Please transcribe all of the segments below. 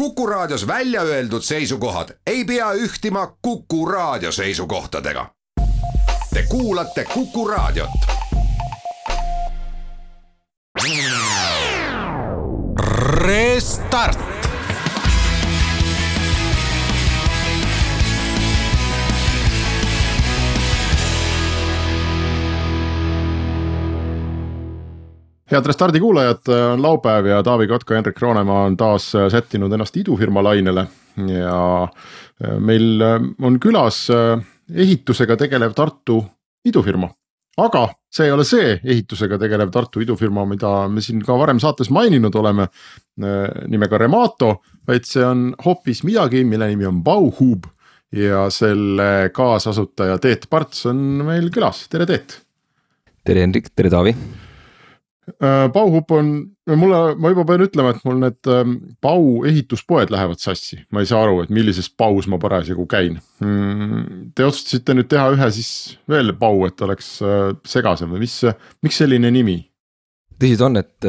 Kuku Raadios välja öeldud seisukohad ei pea ühtima Kuku Raadio seisukohtadega. Te kuulate Kuku Raadiot. Restart. Head Restardi kuulajad, on laupäev ja Taavi Kotka ja Henrik Roonemaa on taas sättinud ennast idufirma lainele ja meil on külas ehitusega tegelev Tartu idufirma. Aga see ei ole see ehitusega tegelev Tartu idufirma, mida me siin ka varem saates maininud oleme nimega Remato, vaid see on hoopis midagi, mille nimi on Bauhub ja selle kaasasutaja Teet Parts on meil külas. Tere Teet! Tere Henrik, tere Taavi! Bauhub on, ma juba pean ütlema, et mul need Bau ehituspoed lähevad sassi. Ma ei saa aru, et millises Baus ma parasjagu käin. Te otsustasite nüüd teha ühe siis veel Bau, et oleks segasem. Miks selline nimi? Tõsid on, et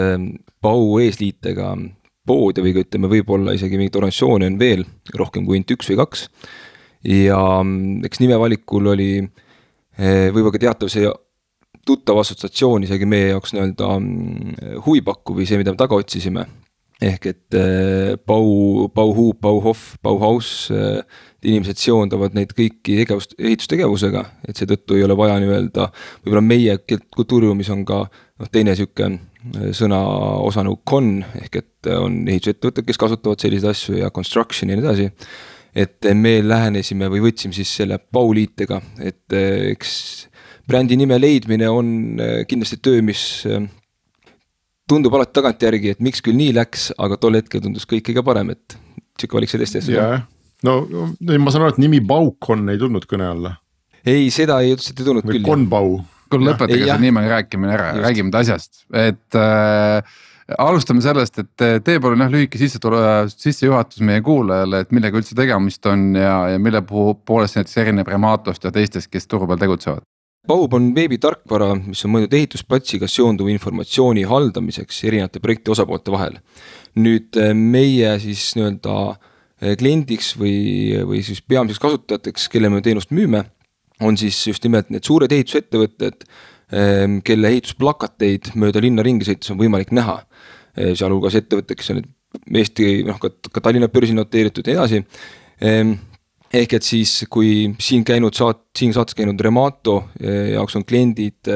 Bau eesliitega pood või ütleme võib-olla isegi mingit organisatsiooni on veel rohkem kui 1 või 2. Ja eks nimevalikul oli võib-olla ka teatav see tuttav assotsiatsioon isegi meie jaoks nii-öelda huvipakku või see, mida me taga otsisime. Ehk et Bauhub, Bauhof, Bauhaus, inimesed seondavad neid kõiki ehitustegevusega, et seetõttu ei ole vaja nii-öelda, võib-olla meie kultuuriruumis on ka teine siuke sõna osa nagu con, ehk et on ehitusettevõtted, kes kasutavad selliseid asju ja construction ja nii edasi. Et me lähenesime või võtsime siis selle Bauliitega, et eks brändi nime leidmine on kindlasti töö, mis tundub alati tagantjärgi, et miks küll nii läks, aga tol hetkel tundus kõik kõige parem, et siuke valik see teiste. No ma saan aru, et nimi Baukon ei tulnud kõne alla. Ei, seda ei tulnud või küll. Konbau. Kuule lõpetage see nimega rääkimine ära, räägime asjast. Et alustame sellest, et tee palun lühike sissejuhatus meie kuulajale, et millega üldse tegemist on ja mille poolest näiteks erineb Rematost ja teistest, kes turu peal tegutsevad. Bauhub on veebitarkvara, mis on mõeldud ehitusplatsiga seonduva informatsiooni haldamiseks erinevate projekti osapoolte vahel. Nüüd meie siis nii-öelda kliendiks või siis peamiseks kasutajateks, kelle me teenust müüme, on siis just nimelt need suured ehitusettevõtted, kelle ehitusplakateid mööda linna ringi sõites on võimalik näha. Sealhulgas ettevõtted, kes on Eesti, ka Tallinna börsi noteeritud ja edasi. Ehk et siis, kui siin saates käinud Remato jaoks on kliendid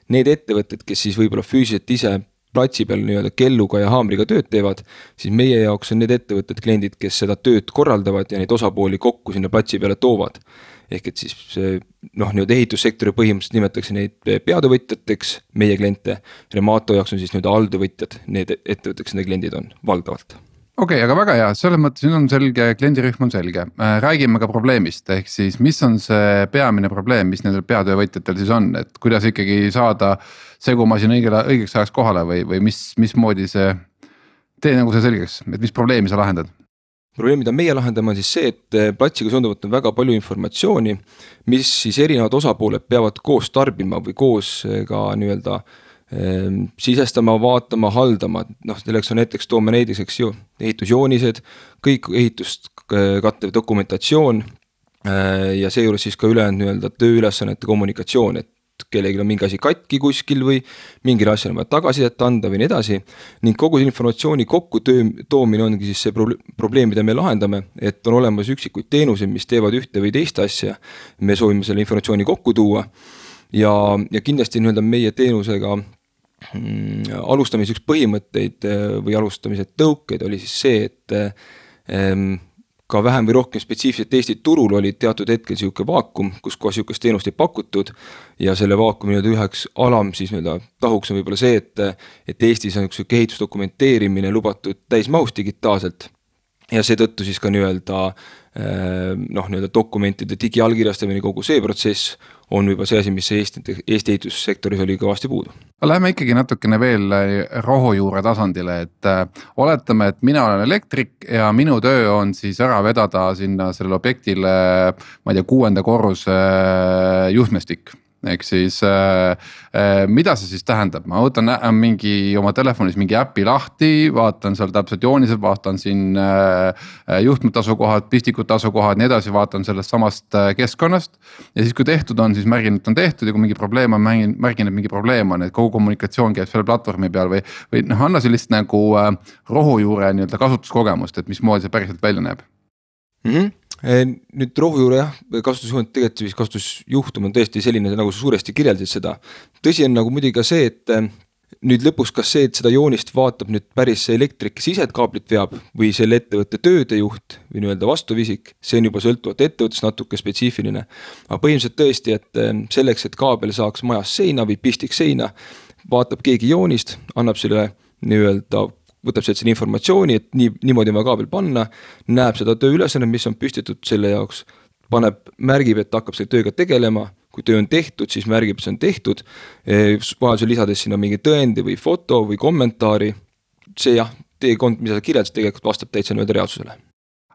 need ettevõtted, kes siis võib-olla füüsiliselt ise platsi peal nii-öelda kelluga ja haamriga tööd teevad, siis meie jaoks on need ettevõtted kliendid, kes seda tööd korraldavad ja neid osapooli kokku sinna platsi peale toovad. Ehk et siis nii-öelda ehitussektori põhimõtteliselt nimetatakse neid peatöövõtjateks, meie kliente. Remato jaoks on siis nii-öelda alltöövõtjad, need ettevõtted, kes need kliendid on valdavalt. Okei, aga väga hea, selles mõttes siin on selge, kliendirühm on selge. Räägime ka probleemist, ehk siis mis on see peamine probleem, mis nendel peatöövõtjatel siis on, et kuidas ikkagi saada segumasin õigeks ajaks kohale või mismoodi see tee nagu see selgeks, et mis probleemi sa lahendad? Probleem, mida meie lahendame on siis see, et platsiga seonduvalt on väga palju informatsiooni, mis siis erinevad osapooled peavad koos tarbima või koos ka nii-öelda sisestama, vaatama, haldama. Selleks on näiteks toome näiteks, eks ju, ehitusjoonised, kõik ehitust kattev dokumentatsioon ja seejuures siis ka ülejäänud nii-öelda tööülesannete kommunikatsioon, et kellelgi on mingi asi katki kuskil või mingil asjal on vaja tagasisidet anda või nii edasi. Ning kogu informatsiooni kokku toomine ongi siis see probleem, mida me lahendame, et on olemas üksikuid teenuseid, mis teevad ühte või teist asja. Me soovime selle informatsiooni kokku tuua ja kindlasti nii-öelda meie teenusega alustamise üks põhimõtteid või alustamise tõukeid oli siis see, et ka vähem või rohkem spetsiifiliselt Eesti turul oli teatud hetkel siuke vaakum, kus koos siukest teenust ei pakutud ja selle vaakumi üheks alam siis tahuks on võib-olla see, et Eestis on üks ehitusdokumenteerimine lubatud täismahus digitaalselt ja seetõttu siis ka nii-öelda dokumentide digiallkirjastamine kogu see protsess on juba see asi, mis Eesti ehitussektoris oli kõvasti puudu. Läheme ikkagi natukene veel rohujuure tasandile, et oletame, et mina olen elektrik ja minu töö on siis ära vedada sinna sellele objektile, ma ei tea, 6. korruse juhtmestik. ehk siis mida see siis tähendab, ma võtan mingi oma telefonis mingi äpi lahti, vaatan seal täpselt joonised, vaatan siin juhtmete asukohad, pistikute asukohad, nii edasi, vaatan sellest samast keskkonnast. Ja siis kui tehtud on, siis märgin, et on tehtud ja kui mingi probleem on, märgin, et mingi probleem on, et kogu kommunikatsioon käib selle platvormi peal või anna sellist nagu rohujuure nii-öelda kasutuskogemust, et mismoodi see päriselt välja näeb. Nüüd rohujuure kasutusjuhtum on tõesti selline, nagu sa suuresti kirjeldasid seda. Tõsi on nagu muidugi ka see, et nüüd lõpus kas see, et seda joonist vaatab nüüd päris elektrik sised kaablit veab või selle ettevõtte töödejuht või nii-öelda vastuvisik, see on juba sõltuvalt ettevõttes natuke spetsiifiline. Aga põhimõtteliselt tõesti, et selleks, et kaabel saaks majas seina või pistik seina, vaatab keegi joonist, annab selle nii-öelda võtab selle informatsiooni, et niimoodi ma kaabel panna, näeb seda tööülesanne, mis on püstitud selle jaoks, märgib, et hakkab selle tööga tegelema, kui töö on tehtud, siis märgib, et see on tehtud, vahel lisades sinna mingi tõendi või foto või kommentaari, see jah, mida sa kirjeldad, tegelikult vastab täitsa nii-öelda reaalsusele.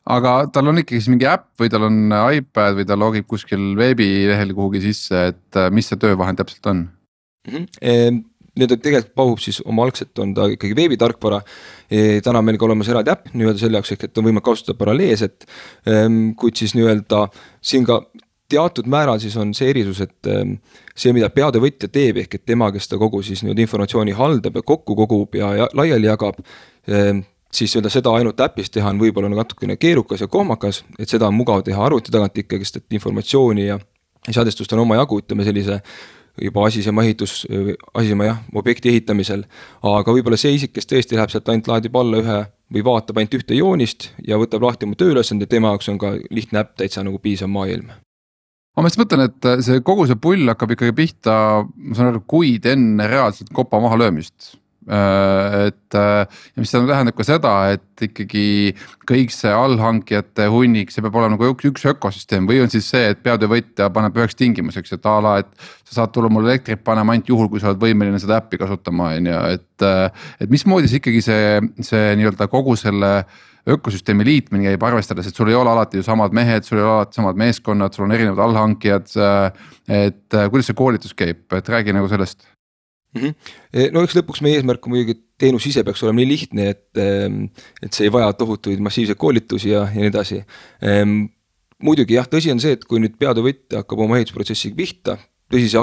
Aga tal on ikkagi mingi äpp või tal on iPad või ta logib kuskil veebilehel kuhugi sisse, et mis see töövahend täpselt on? Nüüd tegelikult pahub siis oma algselt on ta ikkagi veebitarkvara, täna meil ka olemas eraldi äpp nii-öelda selle jaoks, et on võimalik kasutada paralleelset, kuid siis nii-öelda siin ka teatud määral siis on see erisus, et see, mida peatöövõtja teeb, ehk et tema, kes ta kogu siis nii-öelda informatsiooni haldab ja kokku kogub ja laiali jagab, siis seda ainult äpis teha on võib-olla natukene keerukas ja kohmakas, et seda on mugav teha arvuti tagant ikkagi, et informatsiooni ja seadestust on oma jagu, ütleme sellise juba asisema objekti ehitamisel, aga võib-olla see isik, kes tõesti läheb sealt ainult laadib alla ühe või vaatab ainult ühte joonist ja võtab lahti oma tööülesande, tema jaoks on ka lihtne äpp täitsa nagu piisav maailm. Ma just mõtlen, et see kogu see pull hakkab ikkagi pihta, ma saan aru, kuid enne reaalselt kopa maha löömist. Ja mis seda tähendab ka seda, et ikkagi kõik see allhankijate hunnik, see peab olema nagu üks ökosüsteem või on siis see, et peatöövõtja paneb üheks tingimuseks, et et sa saad tulla mul elektrit panema ainult juhul, kui sa oled võimeline seda äppi kasutama, et mismoodi see ikkagi see nii-öelda kogu selle ökosüsteemi liitmine käib arvestades, et sul ei ole alati ju samad mehed, sul ei ole alati samad meeskonnad, sul on erinevad allhankijad, et kuidas see koolitus käib, et räägi nagu sellest. No eks lõpuks meie eesmärk on muidugi, et teenus ise peaks olema nii lihtne, et see ei vaja tohutuid massiivseid koolitusi ja nii edasi. Muidugi jah, tõsi on see, et kui nüüd peatöövõtja hakkab oma ehitusprotsessiga pihta, tõsi see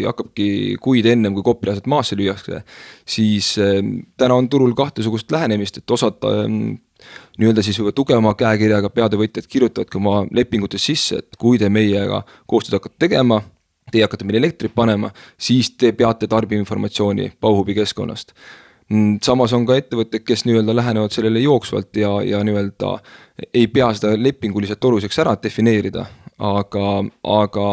hakkabki kuid ennem, kui kopilased maasse lüüakse, siis täna on turul kahtesugust lähenemist, et osad nii-öelda siis juba tugevama käekirjaga peatöövõtjad kirjutavad ka oma lepingutes sisse, et kui te meiega koostööd hakkate tegema, teie hakkate meil elektrit panema, siis te peate tarbima informatsiooni Bauhubi keskkonnast. Samas on ka ettevõtted, kes nii-öelda lähenevad sellele jooksvalt ja nii-öelda ei pea seda lepinguliselt oluliseks ära defineerida, aga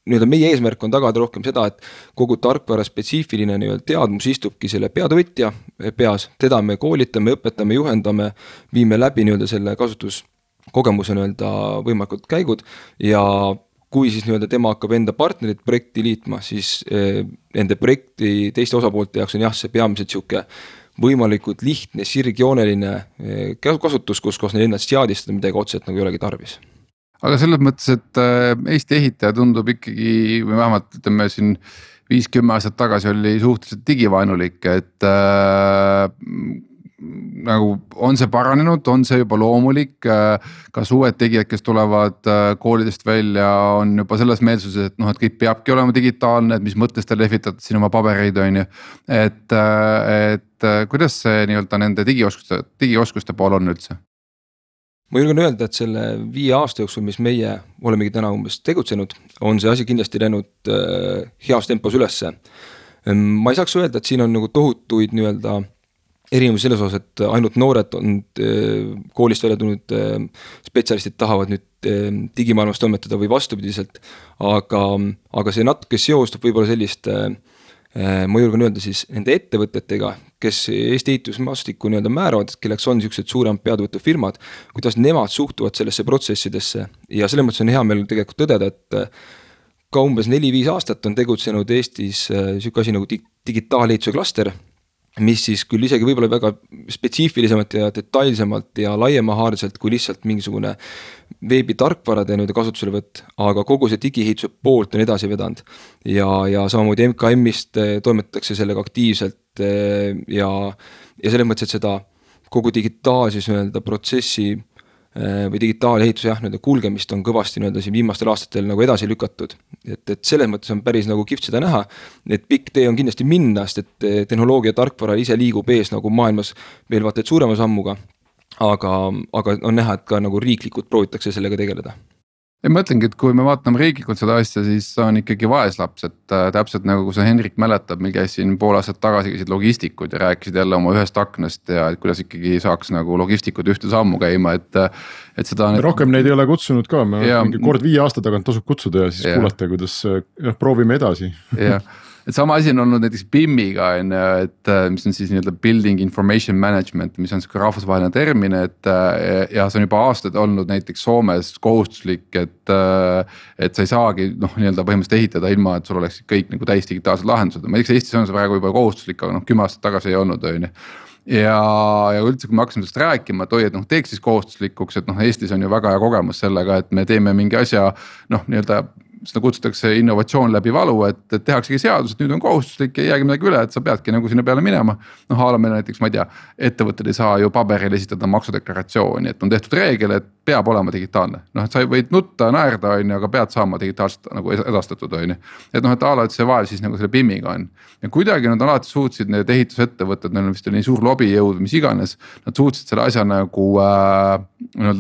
nii-öelda meie eesmärk on tagada rohkem seda, et kogu tarkvara spetsiifiline nii-öelda teadmus istubki selle peatöövõtja peas, teda me koolitame, õpetame, juhendame, viime läbi nii-öelda selle kasutuskogemuse nii-öelda võimalikud käigud ja kui siis nii-öelda tema hakkab enda partnerit projekti liitma, siis enda projekti teiste osapoolte jaoks on jah, see peamiselt siuke võimalikult lihtne, sirgjooneline kasutus, kus neil ennast seadistada midagi otseselt nagu ei olegi tarvis. Aga selles mõttes, et Eesti ehitaja tundub ikkagi, või vähemalt ütleme siin 5-10 aastat tagasi oli suhteliselt digivaenulik, et nagu on see paranenud, on see juba loomulik, kas uued tegijad, kes tulevad koolidest välja, on juba selles meelsuses, et et kõik peabki olema digitaalne, et mis mõttes te lehvitate siin oma pabereid, on ju. Et kuidas see nii-öelda nende digioskuste pool on üldse? Ma julgen öelda, et selle 5 aasta jooksul, mis meie olemegi täna umbes tegutsenud, on see asi kindlasti läinud heas tempos ülesse. Ma ei saaks öelda, et siin on nagu tohutuid nii-öelda erinevus selles osas, et ainult noored on koolist välja tulnud spetsialistid tahavad nüüd digimaailmas toimetada või vastupidiselt, aga see natuke seostub võib-olla sellist, ma julgen öelda siis nende ettevõtetega, kes Eesti ehitusmaastikku nii-öelda määravad, kelleks on niisugused suuremad peatöövõtufirmad, kuidas nemad suhtuvad sellesse protsessidesse ja selles mõttes on hea meil tegelikult tõdeda, et ka umbes 4-5 aastat on tegutsenud Eestis niisugune asi nagu digitaalehituse klaster, mis siis küll isegi võib-olla väga spetsiifilisemalt ja detailsemalt ja laiemahaarselt kui lihtsalt mingisugune veebitarkvarade kasutuselevõtt, aga kogu see digiehituse poolt on edasi vedanud ja samamoodi MKM-ist toimetatakse sellega aktiivselt ja selles mõttes, et seda kogu digitaalses protsessi või digitaalehituse kulgemist on kõvasti siin viimastel aastatel nagu edasi lükatud. Et selles mõttes on päris nagu kihvt seda näha, et pikk tee on kindlasti minna, sest et tehnoloogia tarkvara ise liigub ees nagu maailmas veel vaata et suurema sammuga, aga on näha, et ka nagu riiklikult proovitakse sellega tegeleda. Ja ma mõtlengi, et kui me vaatame riiklikult seda asja, siis on ikkagi vaeslaps, et täpselt nagu kui sa Henrik mäletab, meil käisin pool aastat tagasi käisid logistikud ja rääkisid jälle oma ühest aknast ja et kuidas ikkagi saaks nagu logistikud ühte sammu käima, et seda on... Rohkem neid ei ole kutsunud ka, kord 5 aasta tagant tasub kutsuda ja siis kuulata, kuidas proovime edasi. Jah. Et sama asi on olnud näiteks BIM-iga, et mis on siis nii-öelda Building Information Management, mis on rahvusvaheline termin, ja see on juba aastaid olnud näiteks Soomes kohustuslik, et sa ei saagi nii-öelda põhimõtteliselt ehitada ilma, et sul oleks kõik nagu täis digitaalsed lahendused. Ma teeks Eestis on see praegu juba kohustuslik, aga 10 aastat tagasi ei olnud. Ja üldse, kui me hakkasime sellest rääkima, et teeks siis kohustuslikuks, et Eestis on ju väga hea kogemus sellega, et me teeme mingi asja nii-öelda seda kutsutakse innovatsioon läbi valu, et tehaksegi seadus, et nüüd on kohustuslik ja ei jäägi midagi üle, et sa peadki nagu sinna peale minema. Haalame näiteks, ma ei tea, ettevõtted ei saa ju paberil esitada maksudeklaratsiooni, et on tehtud reegel, et peab olema digitaalne. Et sa võid nutta, naerda, aga pead saama digitaalselt nagu edastatud. Et et see vaev siis nagu selle BIM-iga on. Ja kuidagi nad alati suutsid need ehitusettevõtted, neil on vist nii suur lobijõud, mis iganes, nad suutsid selle asja nagu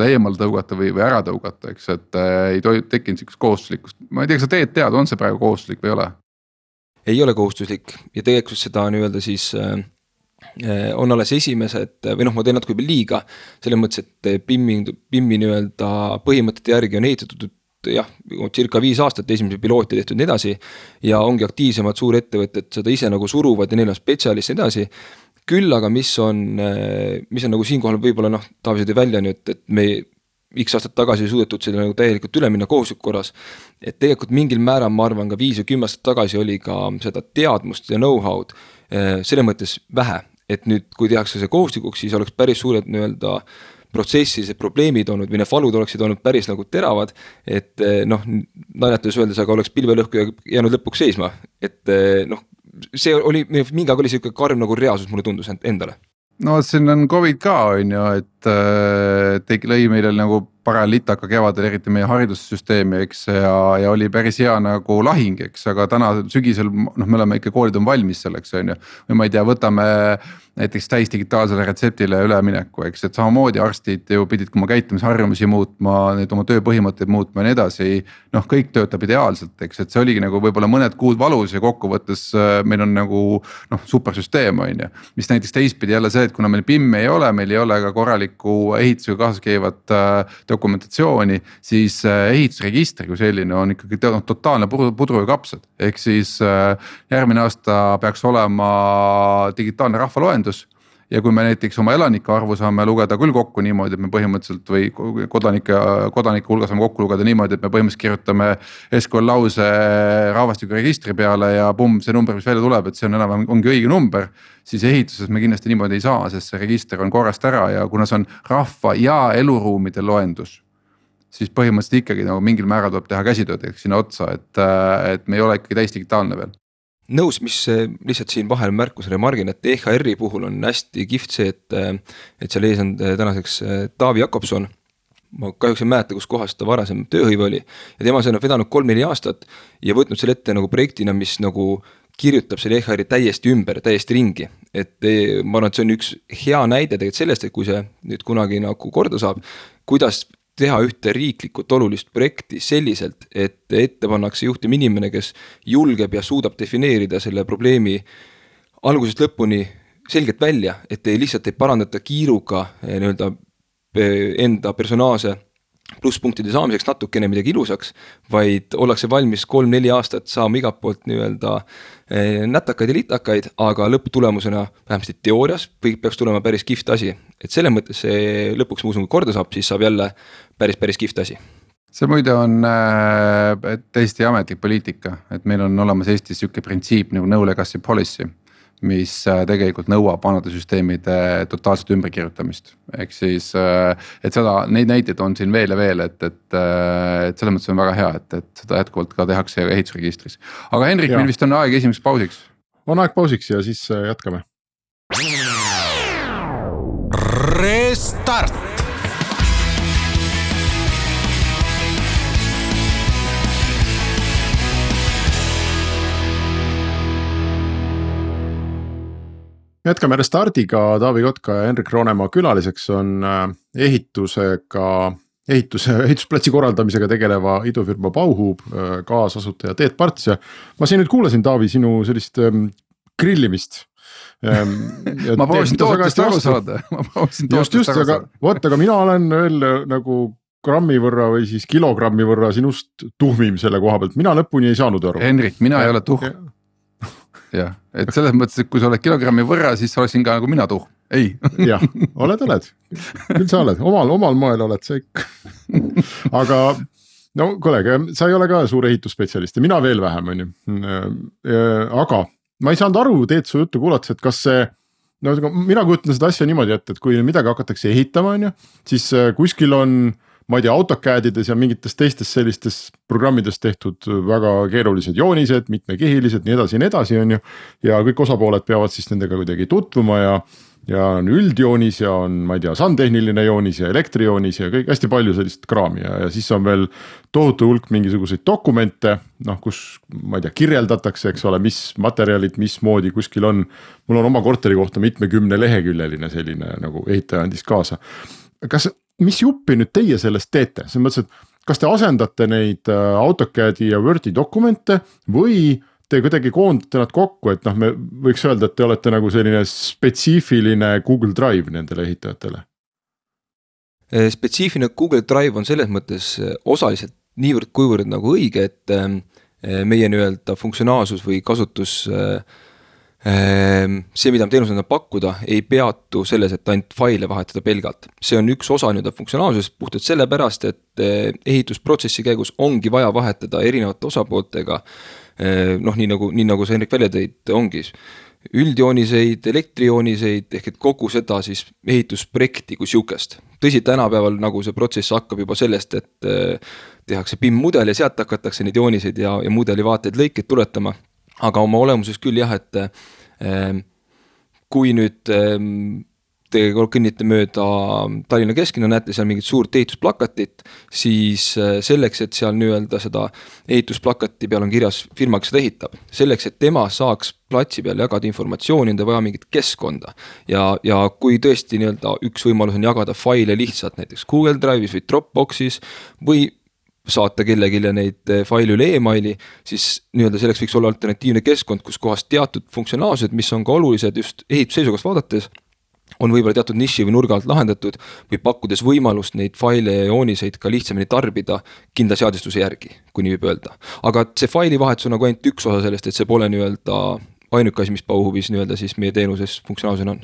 eemal tõugata või ära tõugata, eks, et ei tekkinud sellist kohustuslikust. Ma ei tea, kas sa tead, on see praegu kohustuslik või ei ole? Ei ole kohustuslik ja tegelikult seda nii-öelda siis on alles esimesed või ma teen natuke liiga selles mõttes, et BIM-i nii-öelda põhimõtete järgi on ehitatud circa 5 aastat esimese pilooti tehtud edasi ja ongi aktiivsemad suurettevõtted seda ise nagu suruvad ja neil on spetsialist edasi. Küll aga mis on nagu siinkohal võib-olla Taavi sõidi välja nüüd, et me X aastat tagasi suudetud selle nagu täielikult üle minna kohustusliku korras, et tegelikult mingil määral ma arvan ka 5 või 10 aastat tagasi oli ka seda teadmust ja know-how'd selle mõttes vähe, et nüüd kui tehakse see kohustuslikuks, siis oleks päris suured nii-öelda protsessis probleemid olnud või need valud oleksid olnud päris nagu teravad, et naljatades öeldes, aga oleks pilvelõhku jäänud lõpuks seisma, et see oli mingi aeg oli selline karm nagu reaalsus, mulle tundus endale. No siin on COVID ka on ju, et lõi meile nagu paralitaka kevadel, eriti meie haridussüsteemi, eks, ja oli päris hea nagu lahing, eks, aga täna sügisel me oleme ikka, koolid on valmis selleks, on ju. Või ma ei tea, võtame näiteks täis digitaalsele retseptile ülemineku, eks, et samamoodi arstid ju pidid oma käitumisharjumusi muutma, need oma tööpõhimõtteid muutma ja nii edasi, kõik töötab ideaalselt, eks, et see oligi nagu võib-olla mõned kuud valus ja kokkuvõttes meil on nagu supersüsteem, on ju, mis näiteks teistpidi jälle see, et kuna meil BIM ei ole, meil ei ole ka korralikku ehitusega kaasas käivat dokumentatsiooni, siis ehitusregistri kui selline on ikkagi totaalne pudru ja kapsad, ehk siis järgmine aasta peaks olema digitaalne rahvaloendus. Ja kui me näiteks oma elanike arvu saame lugeda küll kokku niimoodi, et me põhimõtteliselt või kodanike hulga saame kokku lugeda niimoodi, et me põhimõtteliselt kirjutame SQL lause rahvastiku registri peale ja see number, mis välja tuleb, et see on enam ongi õige number, siis ehituses me kindlasti niimoodi ei saa, sest see register on korrast ära ja kuna see on rahva ja eluruumide loendus, siis põhimõtteliselt ikkagi nagu mingil määral tuleb teha käsitööd sinna otsa, et me ei ole ikkagi täis digitaalne veel. Nõus, mis lihtsalt siin vahel märkusele margin, et EHR-i puhul on hästi kihvt see, et seal ees on tänaseks Taavi Jakobson. Ma kahjuks ei mäleta, kus kohas ta varasem tööhõive oli ja tema see on vedanud 3-4 aastat ja võtnud selle ette nagu projektina, mis nagu kirjutab selle EHR-i täiesti ümber, täiesti ringi. Et ma arvan, et see on üks hea näide tegelikult sellest, et kui see nüüd kunagi nagu korda saab, kuidas teha ühte riiklikult olulist projekti selliselt, et ette pannakse juhtim inimene, kes julgeb ja suudab defineerida selle probleemi algusest lõpuni selgelt välja, et lihtsalt ei parandata kiiruga nii-öelda enda personaalse plusspunktide saamiseks natukene midagi ilusaks, vaid ollakse valmis 3-4 aastat saama igalt poolt nii-öelda nätakaid ja litakaid, aga lõpptulemusena vähemasti teoorias peaks tulema päris kihvt asi. Et selle mõttes see lõpuks ma usun, kui korda saab, siis saab jälle päris kihvt asi. See muide on täiesti ametlik poliitika, et meil on olemas Eestis siuke printsiip nagu no legacy policy. mis tegelikult nõuab vanade süsteemide totaalset ümberkirjutamist. Ehk siis, et neid näiteid on siin veel ja veel, et selles mõttes on väga hea, et seda jätkuvalt ka tehakse ehitusregistris. Aga Henrik, meil vist on aeg esimeseks pausiks. On aeg pausiks ja siis jätkame. Restart. Jätkame Restardiga, Taavi Kotka ja Henrik Roonemaa külaliseks on ehitusplatsi korraldamisega tegeleva idufirma Bauhub kaasasutaja Teet Parts ja ma siin nüüd kuulasin, Taavi, sinu sellist grillimist. Ma proovisin tootest aru saada. Just, aga mina olen veel nagu grammi võrra või siis kilogrammi võrra sinust tuhmim selle koha pealt, mina lõpuni ei saanud aru. Henrik, mina ei ole tuhm. Jah, et selles mõttes, et kui sa oled kilogrammi võrra, siis sa oleksin ka nagu mina tuhm. Ei. Jah, oled. Küll sa oled, omal moel oled sa ikka. Aga no kolleeg, sa ei ole ka suur ehitusspetsialist ja mina veel vähem, on ju. Aga ma ei saanud aru, Teet su juttu kuulates, et kas see, no mina kujutan seda asja niimoodi, et kui midagi hakatakse ehitama, on ju, siis kuskil on, ma ei tea, AutoCADides ja mingites teistes sellistes programmides tehtud väga keerulised joonised, mitmekihilised, nii edasi, on ju. Ja kõik osapooled peavad siis nendega kuidagi tutvuma ja on üldjoonis ja on, ma ei tea, sandtehniline joonis ja elektrijoonis ja kõik hästi palju sellist kraami ja siis on veel tohutu hulk mingisuguseid dokumente, noh, kus, ma ei tea, kirjeldatakse, eks ole, mis materjalid, mis moodi kuskil on. Mul on oma korteri kohta 70 leheküljeline selline nagu ehitaja andis kaasa. Mis juppi nüüd teie sellest teete? See mõttes, et kas te asendate neid AutoCADi ja Wordi dokumente või te kuidagi koondate nad kokku, et noh, me võiks öelda, et te olete nagu selline spetsiifiline Google Drive nendele ehitajatele? Spetsiifiline Google Drive on selles mõttes osaliselt niivõrd kuivõrd nagu õige, et meie nii-öelda funktsionaalsus või kasutus see, mida me teenusena pakkuda, ei peatu selles, et ainult faile vahetada pelgalt. See on üks osa nüüd funktsionaalsusest puhtalt sellepärast, et ehitusprotsessi käigus ongi vaja vahetada erinevate osapooltega, noh, nii nagu sa Henrik välja tõid, ongi üldjooniseid, elektrijooniseid, ehk et kogu seda siis ehitusprojekti kui siukest. Tõsi, tänapäeval nagu see protsess hakkab juba sellest, et tehakse BIM-mudel ja sealt hakatakse neid jooniseid ja mudeli vaateid lõikeid tuletama. Aga oma olemuses küll jah, et kui nüüd te kõnnite mööda Tallinna kesklinna, näete seal mingit suurt ehitusplakatit, siis selleks, et seal nii-öelda seda ehitusplakati peal on kirjas firma, kes seda ehitab, selleks, et tema saaks platsi peal jagada informatsiooni, on ta vaja mingit keskkonda. Ja kui tõesti nii-öelda üks võimalus on jagada faile lihtsalt näiteks Google Drive'is või Dropboxis või saata kellegile neid faile üle e-maili, siis nii-öelda selleks võiks olla alternatiivne keskkond, kus kohas teatud funktsionaalsused, mis on ka olulised just ehitusseisukohast vaadates, on võib-olla teatud niši või nurga alt lahendatud või pakkudes võimalust neid faile ja jooniseid ka lihtsamini tarbida kindla seadistuse järgi, kui nii võib öelda. Aga see faili vahetus on nagu ainult üks osa sellest, et see pole nii-öelda ainuke asi, mis Bauhubis nii-öelda siis meie teenuses funktsionaalsusena on.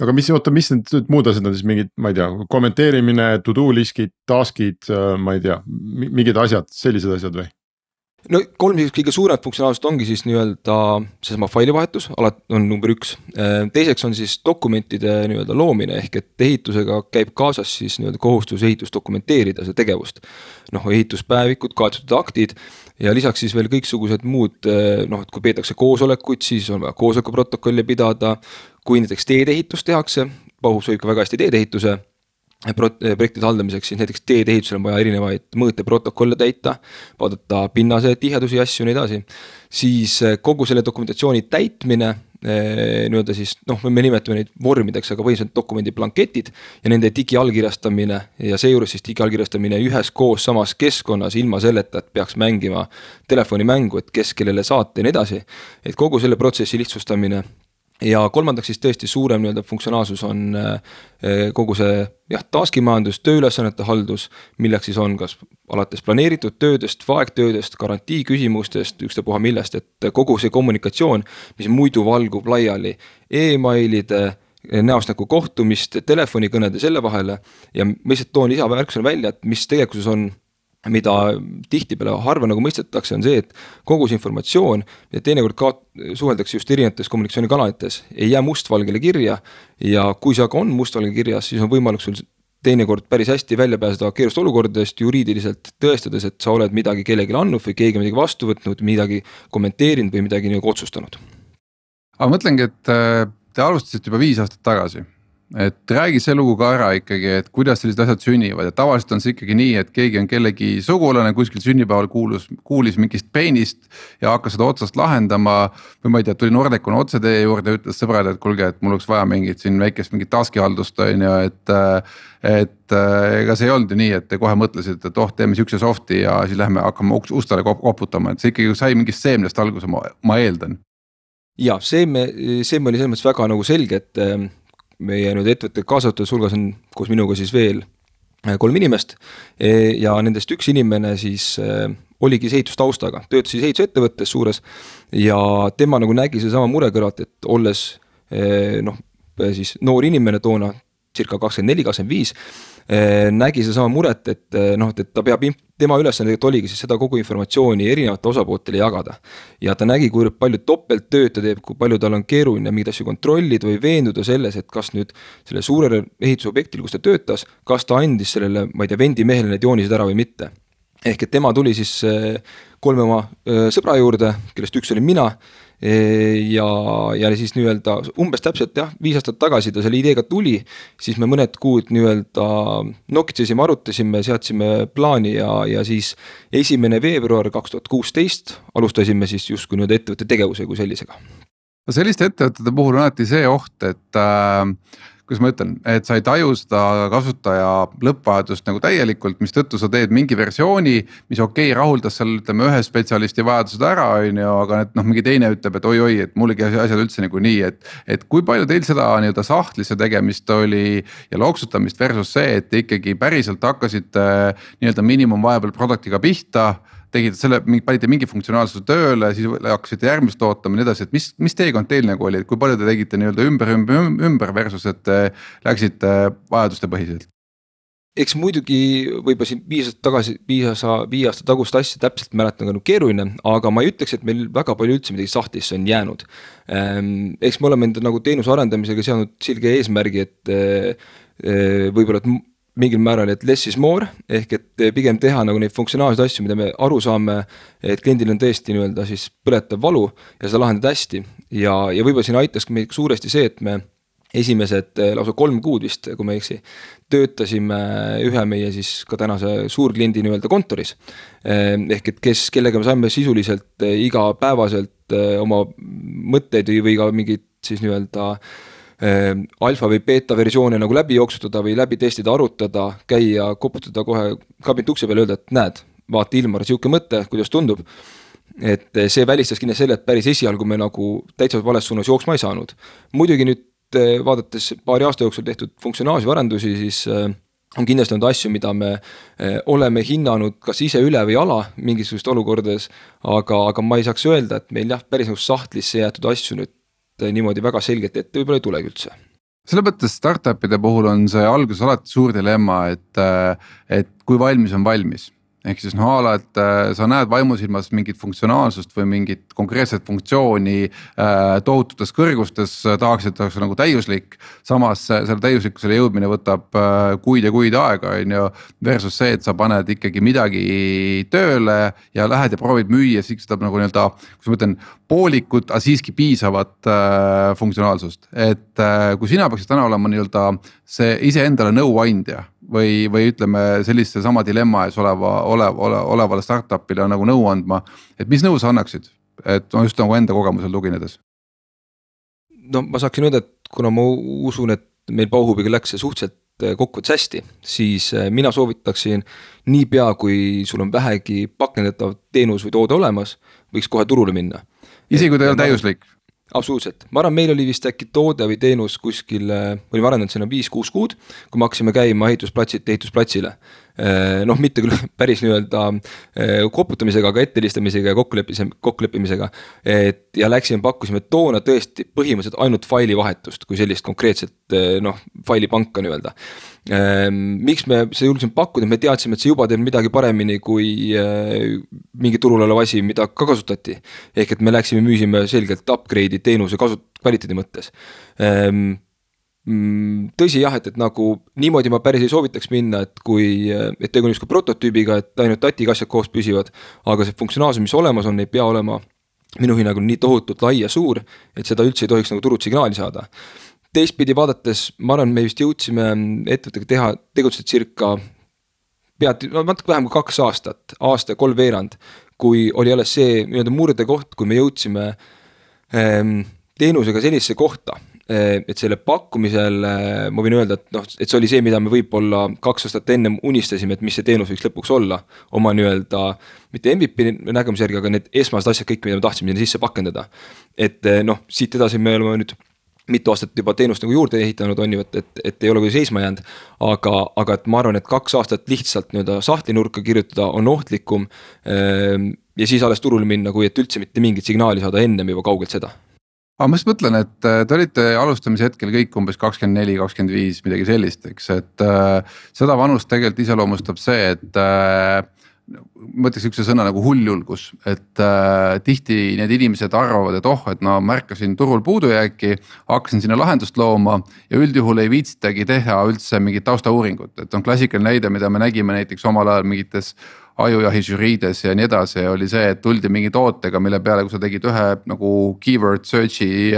Aga mis need muud asjad on siis mingid, ma ei tea, kommenteerimine, to-do liskid, taskid, ma ei tea, mingid asjad, sellised asjad või? No kolm kõige suuremat funktsionaalsust ongi siis nii-öelda seesama failivahetus, on number 1. Teiseks on siis dokumentide nii-öelda loomine, ehk et ehitusega käib kaasas siis nii-öelda kohustus ehitust dokumenteerida see tegevust. Noh, ehituspäevikud, kaetud aktid ja lisaks siis veel kõiksugused muud, noh, et kui peetakse koosolekuid, siis on vaja koosolekuprotokolli pidada, kui näiteks teedeehitus tehakse, Bauhub soovib ka väga hästi teedeehituse projektide haldamiseks, siis näiteks teedeehitusel on vaja erinevaid mõõteprotokolle täita, vaadata pinnase tiheduse ja asju nii edasi, siis kogu selle dokumentatsiooni täitmine, nii-öelda siis, noh, me nimetame neid vormideks, aga põhiliselt dokumendi blanketid ja nende digiallkirjastamine ja seejuures siis digiallkirjastamine ühes koos samas keskkonnas ilma selleta, et peaks mängima telefonimängu, et kes kellele saata ja nii edasi, et kogu selle protsessi lihtsustamine. Ja kolmandaks siis tõesti suurem nii-öelda funktsionaalsus on kogu see taskimajandus, tööülesannete haldus, milleks siis on kas alates planeeritud töödest, vaegtöödest, garantii küsimustest, ükstapuha millest, et kogu see kommunikatsioon, mis muidu valgub laiali e-mailide, näost nagu kohtumist, telefonikõnede selle vahele ja ma lihtsalt toon lisavärksõna välja, et mis tegelikkuses on mida tihtipeale harva nagu mõistetakse, on see, et kogu see informatsioon ja teinekord suheldakse just erinevates kommunikatsioonikanalites, ei jää mustvalgele kirja ja kui see aga on mustvalgele kirjas, siis on võimalik sul teinekord päris hästi välja pääseda keerust olukordadest juriidiliselt tõestades, et sa oled midagi kellelegi andnud või keegi midagi vastu võtnud, midagi kommenteerinud või midagi nagu otsustanud. Aga mõtlengi, et te alustasite juba 5 aastat tagasi. Et räägi see lugu ka ära ikkagi, et kuidas sellised asjad sünnivad ja tavaliselt on see ikkagi nii, et keegi on kellegi sugulane kuskil sünnipäeval kuulis mingist peenist ja hakkas seda otsast lahendama või ma ei tea, tuli Nordecon otse teie juurde ja ütles sõbrad, et kuulge, et mul oleks vaja mingit taskihaldust on ju, et ega see ei olnud nii, et te kohe mõtlesite, et teeme siukse softi ja siis lähme hakkame ustele koputama, et see ikkagi sai mingist seemnest alguse, ma eeldan. Ja seeme oli selles mõttes väga nagu selge, et meie nüüd ettevõtte kaasatute hulgas on koos minuga siis veel 3 inimest ja nendest üks inimene siis oligi ehitustaustaga, töötas siis ehitusettevõttes suures ja tema nagu nägi see sama mure kõrvalt, et olles siis noor inimene toona circa 24-25 nägi see sama muret, et ta peab, tema ülesanne oligi siis seda kogu informatsiooni erinevate osapooltele jagada. Ja ta nägi, kui palju topelt tööd ta teeb, kui palju tal on keeruline mingeid asju kontrollida või veenduda selles, et kas nüüd selle suurele ehitusobjektil, kus ta töötas, kas ta andis sellele, ma ei tea, vendimehele need joonised ära või mitte. Ehk et tema tuli siis 3 oma sõbra juurde, kellest üks oli mina ja siis nii-öelda umbes täpselt 5 aastat tagasi ta selle ideega tuli, siis me mõned kuud nii-öelda nokitsesime, arutasime, seadsime plaani ja siis 1. veebruar 2016 alustasime siis justkui nüüd ettevõtte tegevuse kui sellisega. Selliste ettevõtete puhul on alati see oht, et kuidas ma ütlen, et sa ei taju seda kasutaja lõppvajadust nagu täielikult, mis tõttu sa teed mingi versiooni, mis rahuldas seal ütleme ühe spetsialisti vajadused ära, aga mingi teine ütleb, et oi, et mullegi asjad üldse nagu nii, et kui palju teil seda nii-öelda sahtlisse tegemist oli ja loksutamist versus see, et ikkagi päriselt hakkasite nii-öelda minimum viable productiga pihta, tegite selle, panite mingi funktsionaalsuse tööle, siis hakkasite järgmist ootama ja nii edasi, et mis teekond teil nagu oli, et kui palju te tegite nii-öelda ümber versus, et läksite vajaduste põhiselt? Eks muidugi võib-olla siin 5 aasta tagust asja täpselt mäletan keeruline, aga ma ei ütleks, et meil väga palju üldse midagi sahtlisse on jäänud. Eks me oleme enda nagu teenuse arendamisega seadnud selge eesmärgi, et võib-olla et mingil määral, et less is more, ehk et pigem teha nagu neid funktsionaalseid asju, mida me aru saame, et kliendil on tõesti nii-öelda siis põletav valu ja seda lahendada hästi. Ja võib-olla siin aitas meid suuresti see, et me esimesed lausa 3 kuud vist, kui me töötasime ühe meie siis ka tänase suurkliendi nii-öelda kontoris. Ehk et kellega me saime sisuliselt igapäevaselt oma mõtteid või ka mingid siis nii-öelda alfa või beta versioone nagu läbi jooksutada või läbi testida, arutada, käia, koputada kohe kabineti ukse peale, öelda, et näed, vaata Ilmar, siuke mõte, kuidas tundub. Et see välistas kindlasti selle, et päris esialgu me nagu täitsa vales suunas jooksma ei saanud. Muidugi nüüd vaadates paari aasta jooksul tehtud funktsionaalsi arendusi, siis on kindlasti olnud asju, mida me oleme hinnanud kas ise üle või ala mingisugust olukordades, aga ma ei saaks öelda, et meil päris nagu sahtlisse jäetud asju nüüd niimoodi väga selgelt, et võib-olla ei tulegi üldse. Selle mõttes startupide puhul on see alguses alati suur dilemma, et kui valmis on valmis. Ehk siis ala, et sa näed vaimusilmas mingit funktsionaalsust või mingit konkreetset funktsiooni tohututes kõrgustes, tahaks, et oleks nagu täiuslik. Samas selle täiuslikkusele jõudmine võtab kuid ja kuid aega versus see, et sa paned ikkagi midagi tööle ja lähed ja proovid müüa, siis seda nagu nii-öelda, kus ma ütlen, poolikut, aga siiski piisavat funktsionaalsust. Et kui sina peaksid täna olema nii-öelda see iseendale nõuandja või ütleme sellise sama dilemma ees olevale startupile nagu nõu andma, et mis nõu sa annaksid, et just nagu enda kogemusel tuginedes? No ma saaksin öelda, et kuna ma usun, et meil Bauhubiga läks see suhteliselt kokkuvõttes hästi, siis mina soovitaksin nii pea, kui sul on vähegi pakendatav teenus või toode olemas, võiks kohe turule minna. Isegi kui ta ei ole täiuslik? Absoluutselt. Ma arvan, meil oli vist äkki toode või teenus kuskil, olime arendanud sinna 5-6 kuud, kui me hakkasime käima ehitusplatsile. Mitte küll päris nii-öelda koputamisega, aga ettelistamisega ja kokkuleppimisega. Ja pakkusime toona tõesti põhimõtteliselt ainult faili vahetust, kui sellist konkreetset faili panka nii-öelda. Miks me seda julgesime pakkuda, me teadsime, et see juba teeb midagi paremini kui mingi turul olev asi, mida ka kasutati. Ehk et me läksime müüsime selgelt upgrade'i teenuse kvaliteedi mõttes. Tõsi jah, et nagu niimoodi ma päris ei soovitaks minna, et tegu on just ka prototüübiga, et ainult tatiga asjad koos püsivad, aga see funktsionaalsus, mis olemas on, ei pea olema minu hinnangul nii tohutult lai ja suur, et seda üldse ei tohiks nagu turult signaali saada. Teistpidi vaadates, ma arvan, me vist jõudsime ettevõttega tegutseda circa natuke vähem kui 2 aastat, aasta ja 3 veerand, kui oli alles see murde koht, kui me jõudsime teenusega sellisesse kohta, et selle pakkumisel ma võin öelda, et see oli see, mida me võib-olla 2 aastat enne unistasime, et mis see teenus võiks lõpuks olla, oma mitte MVP nägemise järgi, aga need esmased asjad kõik, mida me tahtsime sisse pakendada. Et siit edasi me oleme nüüd mitu aastat juba teenust nagu juurde ehitanud on ju, et ei ole kui seisma jäänud, aga et ma arvan, et 2 aastat lihtsalt sahtlinurka kirjutada on ohtlikum ja siis alles turule minna, kui et üldse mitte mingit signaali saada ennem juba kaugelt seda. Aga ma just mõtlen, et te olite alustamise hetkel kõik umbes 24, 25, midagi sellist, eks, et seda vanust tegelikult iseloomustab see, et ma ütleks üks sõna nagu hulljulgus, et tihti need inimesed arvavad, et et märkasin turul puudujääki, hakkasin sinna lahendust looma ja üldjuhul ei viitsitagi teha üldse mingit taustauuringut, et on klassikaline näide, mida me nägime näiteks omal ajal mingites ajujahi žüriides ja nii edasi, oli see, et tuldi mingi tootega, mille peale, kui sa tegid ühe nagu keyword search'i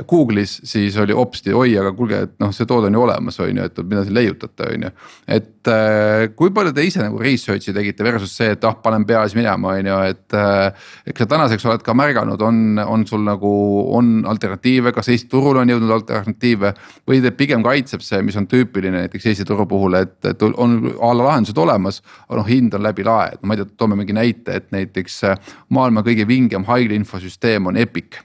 Google'is, siis oli hopsti, aga kuulge, et see toode on ju olemas, on ju, et mida siin leiutate, on ju. Et kui palju te ise nagu research'i tegite versus see, et panen peas minema, on ju, et eks sa tänaseks oled ka märganud, on sul nagu, on alternatiive, kas Eesti turul on jõudnud alternatiive või te pigem kaitseb see, mis on tüüpiline näiteks Eesti turu puhul, et on alla lahendused olemas, aga hind on läbi lae, ma ei tea, toome mingi näite, et näiteks maailma kõige vingem haigla infosüsteem on Epic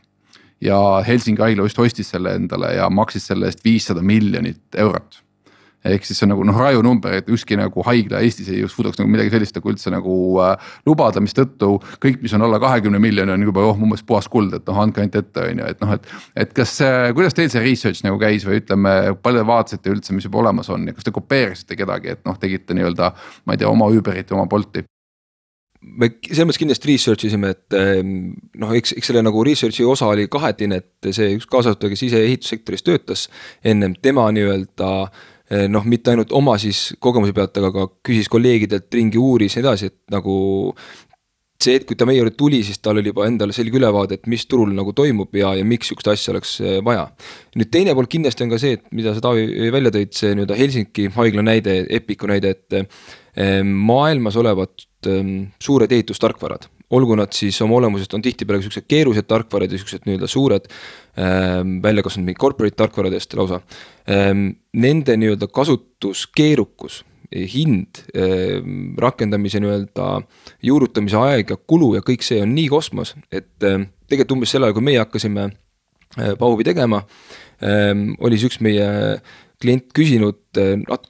ja Helsingi haigla just ostis selle endale ja maksis selle eest 500 miljonit eurot. Ehk siis see on nagu raju number, et ükski nagu haigla Eestis ei suudaks nagu midagi sellist nagu üldse nagu lubada, mis tõttu kõik, mis on alla 20 miljoni on juba umbes puhas kuld, et andke ainult ette, on ju, et kas, kuidas teil see research nagu käis või ütleme, palju vaatasite üldse, mis juba olemas on ja kas te kopeerisite kedagi, et tegite nii-öelda, ma ei tea, oma Uberit ja oma Bolti? Me selles mõttes kindlasti research isime, et eks selle nagu researchi osa oli kahetine, et see üks kaasasutaja, kes ise ehitussektoris töötas ennem, tema nii-öelda mitte ainult oma siis kogemuse pealt, aga ka küsis kolleegidelt ringi uuris ja edasi, et nagu see, et kui ta meie juurde tuli, siis tal oli juba endale selge ülevaade, et mis turul nagu toimub ja miks sükst asja oleks vaja. Nüüd teine pool kindlasti on ka see, et mida sa Taavi välja tõid, see Helsingi haigla näide, Epiku näide, et maailmas olevat suured ehitustarkvarad, olgu nad siis oma olemusest on tihtipeale sellised keerused tarkvarad ja sellised suured välja kasvanud mingi corporate tarkvaradest lausa. Nende kasutuskeerukus, hind, rakendamise juurutamise aeg ja kulu ja kõik see on nii kosmos, et tegelikult umbes sellel, kui meie hakkasime Pauvi tegema, oli üks meie klient küsinud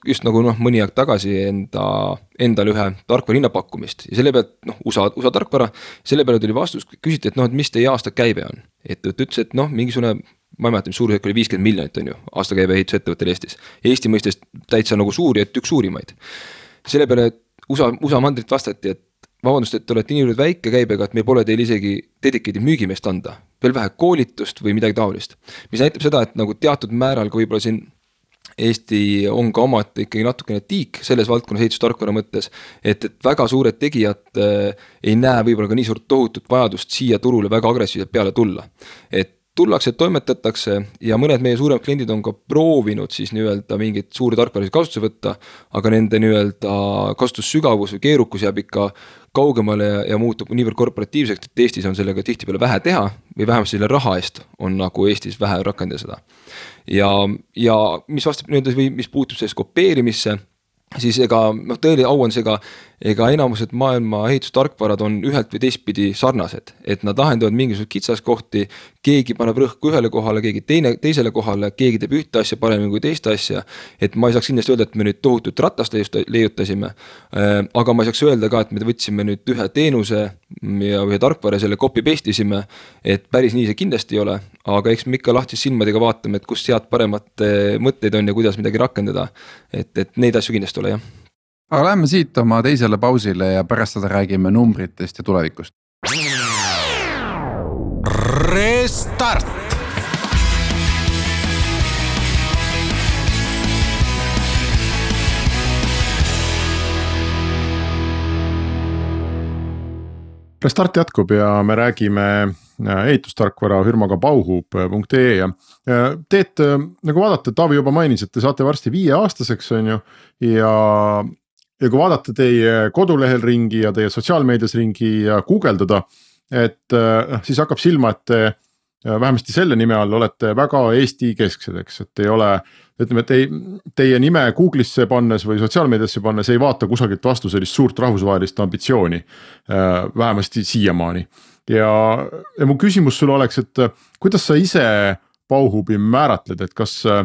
just nagu mõni aeg tagasi endale ühe tarkvara hinnapakkumist ja selle pealt USA tarkvara, selle peale tuli vastus, küsiti, et mis teie aasta käive on, et ütles, et mingisugune, ma ei mäleta, mis suurusjärk oli 50 miljonit on ju aastakäive ehitusettevõttel Eestis. Eesti mõistes täitsa nagu suuri, et üks suurimaid. Selle peale USA mandrit vastati, et vabandust, et te olete niivõrd väike käibega, et meil pole teil isegi dedicated müügimeest anda, veel vähe koolitust või midagi taolist. Mis näitab seda, et nagu teatud määral ka võib-olla siin Eesti on ka omad ikkagi natukene tiik selles valdkonnas ehitustarkvara mõttes, et väga suured tegijad ei näe võib-olla ka nii suurt tohutut vajadust siia turule väga agressiivselt peale tulla. Et tullakse, toimetatakse ja mõned meie suuremad kliendid on ka proovinud siis nii-öelda mingit suuri tarkvarasid kasutuse võtta, aga nende nii-öelda kasutussügavus või keerukus jääb ikka kaugemale ja muutub niivõrd korporatiivseks, et Eestis on sellega tihtipeale vähe teha või vähemalt selle raha eest on nagu Eestis vähe rakendada seda. Ja mis vastab nüüd või mis puutub sellest kopeerimisse, siis ega tõeli au on see ka ega enamused maailma ehitustarkvarad on ühelt või teistpidi sarnased, et nad lahendavad mingisugused kitsaskohti, keegi paneb rõhku ühele kohale, keegi teisele kohale, keegi teeb ühte asja paremini kui teist asja, et ma ei saaks kindlasti öelda, et me nüüd tohutut ratast leiutasime, aga ma ei saaks öelda ka, et me võtsime nüüd ühe teenuse ja ühe tarkvara selle copy paste isime, et päris nii see kindlasti ei ole, aga eks me ikka lahtis silmadega vaatame, et kust head paremat mõtteid on ja kuidas midagi rakendada, et neid asju kindlasti ole, jah. Aga lähme siit oma teisele pausile ja pärast seda räägime numbritest ja tulevikust. Restart. Restart jätkub ja me räägime ehitustarkvara firmaga Bauhub.ee ja teed, nagu vaadata, Taavi juba mainis, et te saate varsti 5-aastaseks on ju ja kui vaadata teie kodulehel ringi ja teie sotsiaalmeedias ringi ja guugeldada, et siis hakkab silma, et te vähemasti selle nime all olete väga Eesti kesksed, eks, et ei ole, ütleme, teie nime Google'isse pannes või sotsiaalmeediasse pannes ei vaata kusagilt vastu sellist suurt rahvusvahelist ambitsiooni, vähemasti siiamaani. Ja mu küsimus sulle oleks, et kuidas sa ise Bauhubi määratled, et kas sa